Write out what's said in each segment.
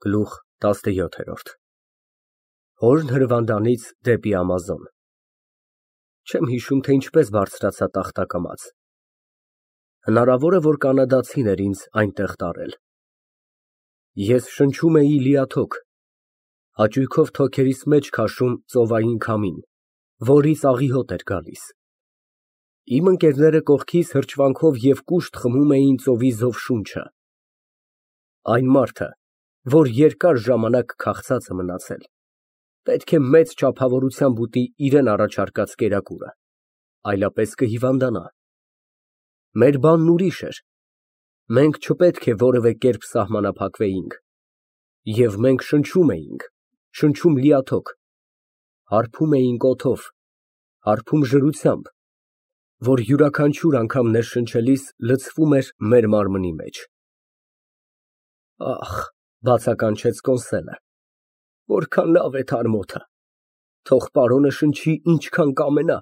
Գլուխ 17 Հորն հրվանդանից դեպի Ամազոն Չեմ հիշում, թե ինչպես բարձրացա տախտակամած։ Հնարավոր է, որ կանադացին էր ինձ այնտեղ տարել։ Ես շնչում էի լիաթոք, հաճույքով թոքերիս մեջ քաշում ծովային քամին, որից աղիհոտ էր գալիս։ Իմ ընկերները կողքիս հրճվանքով և կուշտ խմում էին ծովի զով շունչը։ Այն մարդը, որ երկար ժամանակ քաղցած է մնացել, պետք է մեծ չափավորությամբ ուտի իրան առաջարկած կերակուրը, այլապես կհիվանդանա։ Մեր բանն ուրիշ էր։ Մենք չպետք է որևէ կերպ սահմանափակվեինք, և մենք շնչում էինք, շնչում լիաթոք, հարբում էինք օդով, հարբում ժրությամբ, որ յուրաքանչյուր անգամ ներշնչելիս լցվում էր մեր մարմնի մեջ։ Ախ, բացականչեց Կոնսելը, որքան լավ է թարմոթը, թող պարոնը շնչի ինչքան կամենա,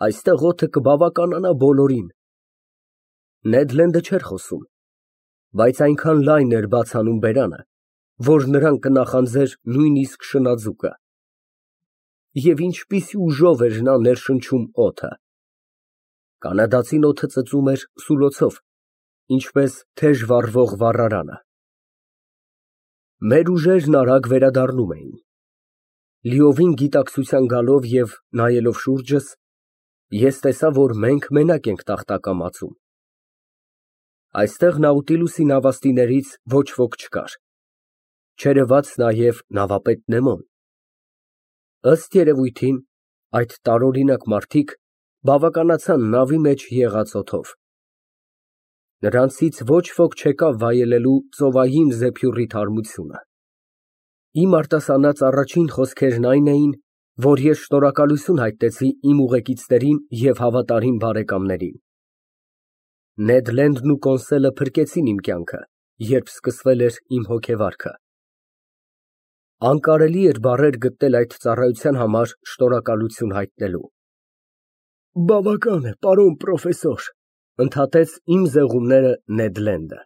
այստեղ օդը կբավականանա բոլորին։ Նեդ Լենդը չէր խոսում, բայց այնքան լայն էր բաց անում բերանը, որ նրան կնախանձեր նույնիսկ շնաձուկը։ Եվ ինչպիսի ուժով էր նա ներշնչում օդը։ Կանադացին օդը ծծում էր սուլոցով, ինչպես թեժ վառվող վառարանը։ Մեր ուժերն արագ վերադառնում էին։ Լիովին գիտակցության գալով և նայելով շուրջս, ես տեսա, որ մենք մենակ ենք տախտակամածում։ Այստեղ Նաուտիլուսի նավաստիներից ոչ ոք չկար, չերևաց նաև նավապետ Նեմոն։ Ըստ երևույթին, այդ տարօրինակ մարդիկ բավականացան նավի մեջ եղած օդով։ Նրանցից ոչ ոք չեկավ վայելելու ծովային զեփյուռի թարմությունը։ Իմ արտասանած առաջին խոսքերն այն էին, որ ես շնորհակալություն հայտնեցի իմ ուղեկիցներին և հավատարիմ բարեկամներին։ Նեդ Լենդն ու Կոնսելը փրկեցին իմ կյանքը, երբ սկսվել էր իմ հոգեվարքը։ Անկարելի էր բառեր գտնել այդ ծառայության համար շնորհակալություն հայտնելու։ Բավական է, պարոն պրոֆեսոր, ընդհատեց իմ զեղումները Նեդ Լենդը։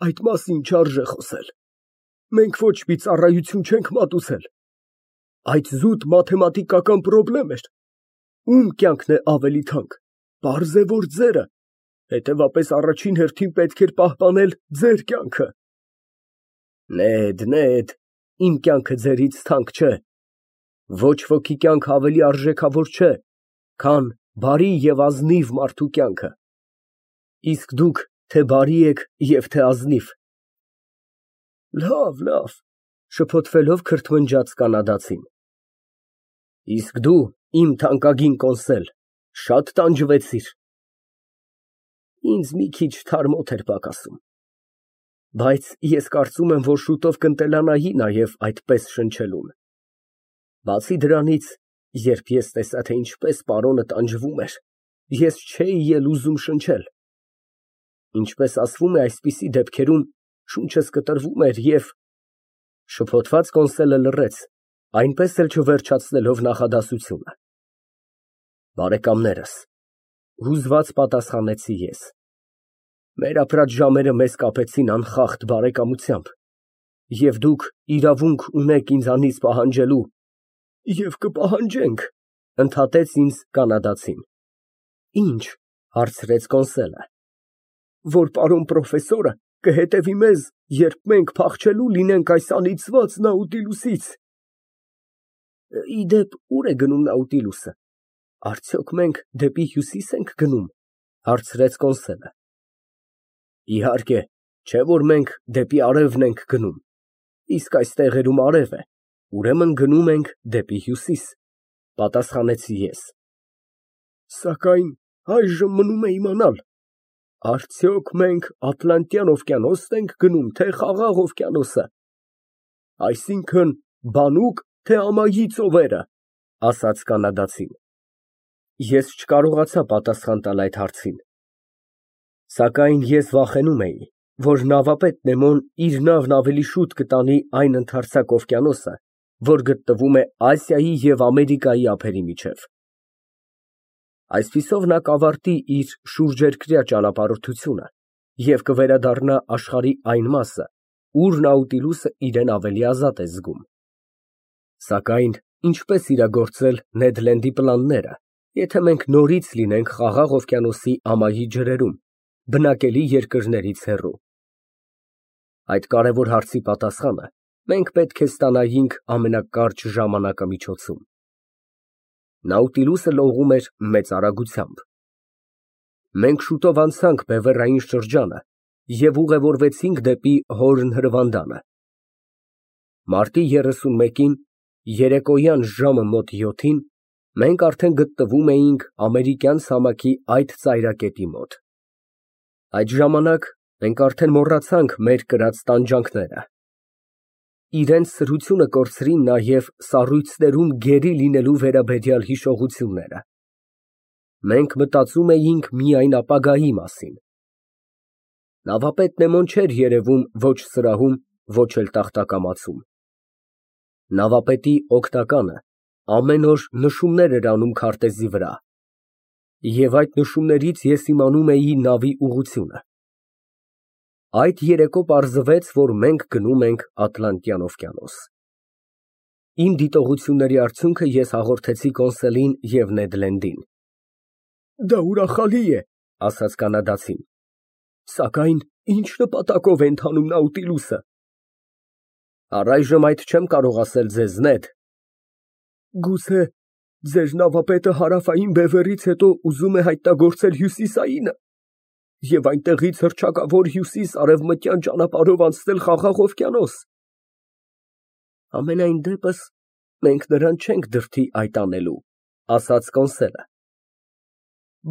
Այդ մասին չարժե խոսել։ Մենք ոչ մի ծառայություն չենք մատուցել։ Այդ զուտ մաթեմատիկական պրոբլեմ էր։ Ում կյանքն է ավելի թանկ։ Պարզ է, որ ձերը, հետևաբար առաջին հերթին պետք էր պահպանել ձեր կյանքը։ Նեդ, իմ կյանքը ձերից թանկ չէ։ Ոչ ոքի կյանքը ավելի արժեքավոր չէ, քան բարի և ազնիվ մարդու կյանքը։ Իսկ դուք թե բարի եք և թե ազնիվ։ Լավ, շփոթվելով քրթմնջաց կանադացին։ Իսկ դու, իմ թանկագին Կոնսել, շատ տանջվեցիր։ Ինձ մի քիչ թարմոթ էր պակասում, բայց ես կարծում եմ, որ շուտով կընտելանայի նաև այդպես շնչելուն։ Բացի դրանից, երբ ես տեսա, թե ինչպես պարոնը տանջվում էր, ես չէի էլ ուզում շնչել։ Ինչպես ասվում է այսպիսի դեպքերում, շունչս կտրվում էր և… Շփոթված Կոնսելը լռեց, այնպես էլ չվերջացնելով նախադասությունը։ Բարեկամներս, հուզված պատասխանեցի ես, մեր ապրած ժամերը մեզ կապեցին անխախտ բարեկամությամբ, և դուք իրավունք ունեք ինձանից պահանջելու, և կպահանջենք, ընդհատեց ինձ կանադացին։ Ինչ, հարցրեց Կոնսելը։ Որ պարոն պրոֆեսորը կհետևի մեզ, երբ մենք փախչելու լինենք այս անիծված Նաուտիլուսից։ Ի դեպ, ուր է գնում Նաուտիլուսը։ Արդյոք մենք դեպի հյուսի՞ս ենք գնում, հարցրեց Կոնսելը։ Իհարկե, չէ որ մենք դեպի արևն ենք գնում, իսկ այս տեղերում արև է, ուրեմն գնում ենք դեպի հյուսիս, պատասխանեցի ես։ Սակայն այժմ մնում է իմանալ, արդյոք մենք Ատլանտյան օվկիանոս ենք գնում, թե Խաղաղ օվկիանոսը, այսինքն՝ բանուկ, թե ամայի ծովերը, ասաց կանադացին։ Ես չկարողացա պատասխան տալ այդ հարցին։ Սակայն ես վախենում էի, որ նավապետ Նեմոն իր նավն ավելի շուտ կտանի այն ընդարձակ օվկիանոսը, որ գտնվում է Ասիայի և Ամերիկայի ափերի միջև։ Այսպիսով նա կավարտի իր շուրջերկրյա ճանապարհորդությունը և կվերադառնա աշխարհի այն մասը, ուր Նաուտիլուսը իրեն ավելի ազատ է զգում։ Սակայն ինչպես իրագործել Նեդ Լենդի պլանները, եթե մենք նորից լինենք Խաղաղ օվկիանոսի ամայի ջրերում, բնակելի երկրներից հեռու։ Այդ կարևոր հարցի պատասխանը մենք պետք է ստանայինք ամենակարճ ժամանակամիջոցում։ Նաուտիլուսը լողում էր մեծ արագությամբ։ Մենք շուտով անցանք բևեռային շրջանը և ուղևորվեցինք դեպի Հորն հրվանդանը։ Մարտի 31-ին երեկոյան ժամը մոտ 7-ին մենք արդեն գտնվում էինք ամերիկյան ցամաքի այդ ծայրակետի մոտ։ Այդ ժամանակ մենք արդեն մոռացանք մեր կրած տանջանքները։ Իրենց սրությունը կորցրին նաև սառույցներում գերի լինելու վերաբերյալ հիշողությունները։ Մենք մտածում էինք միայն ապագայի մասին։ Նավապետ Նեմոն չէր երևում ոչ սրահում, ոչ էլ տախտակամածում։ Նավապետի օգնականը ամեն օր նշումներ էր անում քարտեզի վրա, և այդ նշումներից ես իմանում էի նավի ուղղությունը։ Այդ երեկո պարզվեց, որ մենք գնում ենք Ատլանտյան օվկիանոս։ Իմ դիտողությունների արդյունքը ես հաղորդեցի Կոնսելին և Նեդ Լենդին։ Դա ուրախալի է, ասաց կանադացին, սակայն ինչ նպատակով է ընթանում Նաուտիլուսը։ Առայժմ այդ չեմ կարող ասել ձեզ, Նեդ։ Գուցե ձեր նավապետը հարավային բևեռից հետո ուզում է հայտնագործել հյուսիսայինը և այնտեղից հռչակավոր հյուսիս֊արևմտյան ճանապարհով անցնել Խաղաղ օվկիանոս։ Համենայն դեպս մենք նրան չենք դրդի այդ անելու, ասաց Կոնսելը։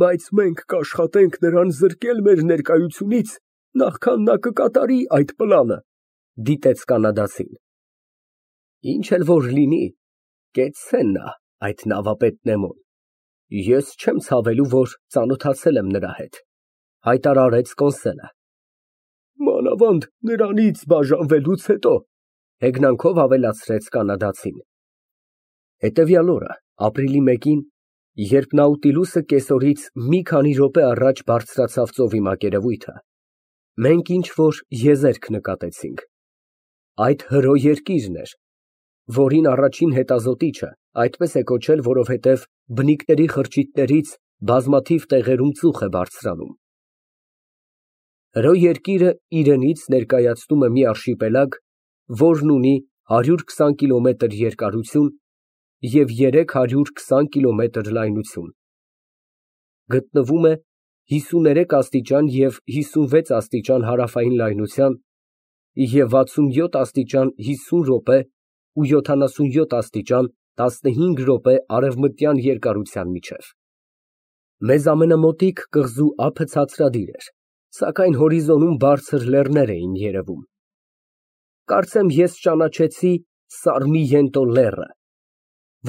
Բայց մենք կաշխատենք նրան զրկել մեր ներկայությունից, նախքան նա կկատարի այդ պլանը, դիտեց կանադացին։ Ինչ էլ որ լինի, կեցցե նա այդ նավապետ Նեմոն։ Ես չեմ ցավելու, որ ծանոթացել եմ նրա հետ, հայտարարեց Կոնսելը։ Մանավանդ նրանից բաժանվելուց հետո, հեգնանքով ավելացրեց կանադացին։ Հետևյալ օրը, ապրիլի 1-ին, երբ Նաուտիլուսը կեսօրից մի քանի րոպե առաջ բարձրացավ ծովի մակերևույթը, մենք ինչ-որ եզերք նկատեցինք։ Այդ հրո երկիրն էր, որին առաջին հետազոտիչը այդպես է կոչել, որովհետև բնիկների խրճիթներից բազմաթիվ տեղերում ծուխ է բարձրանում։ Հրո երկիրը իրենից ներկայացնում է մի արշիպելագ, որն ունի 120 կիլոմետր երկարություն և 320 կիլոմետր լայնություն։ Գտնվում է 53 աստիճան և 56 աստիճան հարավային լայնության և 67 աստիճան 50 րոպե ու 77 աստիճան 15 րոպե արևմտյան երկարության միջև։ Մեզ ամենամոտիկ կղզու ափը ցածրադիր էր, սակայն հորիզոնում բարձր լեռներ էին երևում։ Կարծեմ ես ճանաչեցի Սարմիենտո լեռը,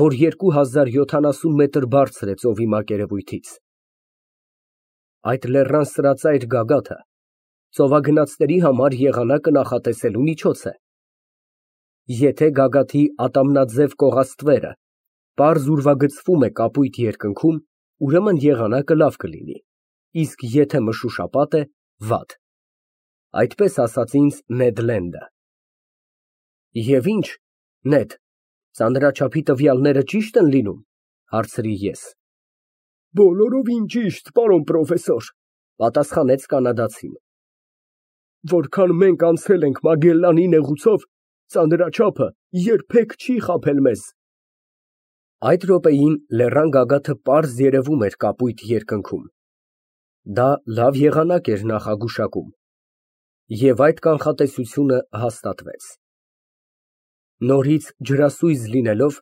որ 2070 մետր բարձր է ծովի մակերևույթից։ Այդ լեռան սրածայր գագաթը ծովագնացների համար եղանակը նախատեսելու միջոց է։ Եթե գագաթի ատամնաձև կողաստվերը պարզ ուրվագծվում է կապույտ երկնքում, ուրեմն եղանակը լավ կլինի, իսկ եթե մշուշապատ է, վատ։ Այդպես ասաց ինձ Նեդ Լենդը։ Եվ ինչ, Նեդ, ծանրաչափի տվյալները ճի՞շտ են լինում, հարցրի ես։ Բոլորովին ճիշտ, պարոն պրոֆեսոր, պատասխանեց կանադացին։ Որքան մենք անցել ենք Մագելլանի նեղուցով, ծանրաչափը երբեք չի խաբել մեզ։ Այդ րոպեին լեռան գագաթը պարզ երևում էր կապույտ երկնքում։ Դա լավ եղանակ էր նախագուշակում։ Եվ այդ կանխատեսությունը հաստատվեց։ Նորից ջրասույզ լինելով,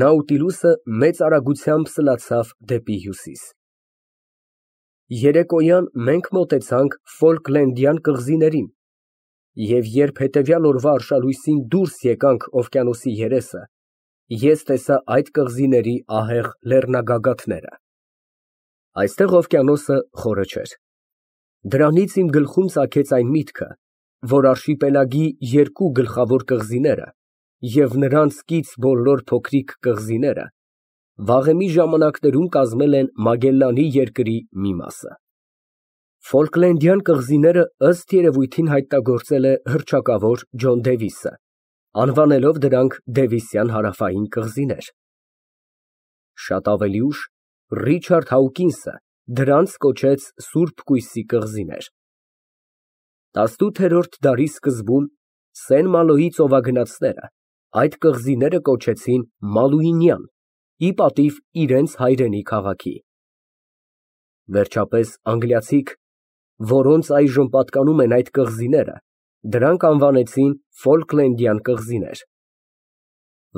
Նաուտիլուսը մեծ արագությամբ սլացավ դեպի հյուսիս։ Երեկոյան մենք մոտեցանք Ֆոլկլենդյան կղզիներին, և երբ հետևյալ օրվա արշալույսին դուրս եկանք օվկիանոսի երեսը, ես տեսա այդ կղզիների ահեղ լեռնագագաթները։ Այստեղ օվկիանոսը խորը չէր։ Դրանից իմ գլխում ծագեց այն միտքը, որ արշիպելագի երկու գլխավոր կղզիները և նրանց կից բոլոր փոքրիկ կղզիները վաղեմի ժամանակներում կազմել են Մագելլանի երկրի մի մասը։ Ֆոլկլենդյան կղզիները ըստ երևույթին հայտնագործել է հռչակավոր Ջոն Դեվիսը, անվանելով դրանք Դևիսյան հարավային կղզիներ։ Շատ ավելի ուշ Ռիչարդ Հաուկինսը դրանց կոչեց Սուրբ Կույսի կղզիներ։ 18-րդ դարի սկզբում Սեն Մալոյի ծովագնացները այդ կղզիները կոչեցին Մալուինյան, ի պատիվ իրենց հայրենի քաղաքի։ Վերջապես անգլիացիք, որոնց այժմ պատկանում են այդ կղզիները, դրանք անվանեցին Ֆոլկլենդյան կղզիներ։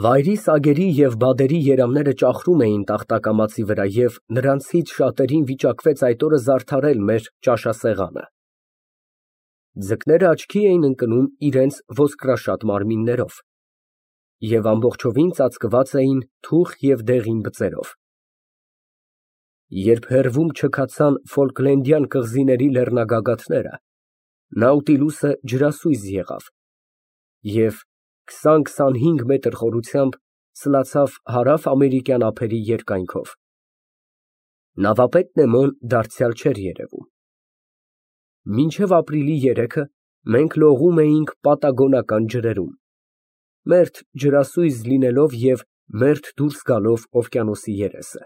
Վայրի սագերի և բադերի երամները ճախրում էին տախտակամածի վրա և նրանցից շատերին վիճակվեց այդ օրը զարդարել մեր ճաշասեղանը։ Ձկները աչքի էին ընկնում իրենց ոսկրաշատ մարմիններով և ամբողջովին ծածկված էին թուխ և դեղին բծերով։ Երբ հեռվում չքացան Ֆոլկլենդյան կղզիների լեռնագագաթները, Նաուտիլուսը ջրասույզ եղավ և 20-25 մետր խորությամբ սլացավ հարավ֊ամերիկյան ափերի երկայնքով։ Նավապետ Նեմոն դարձյալ չէր երևում։ Մինչև ապրիլի 3-ը մենք լողում էինք Պատագոնական ջրերում, մերթ ջրասույզ լինելով և մերթ դուրս գալով օվկիանոսի երեսը։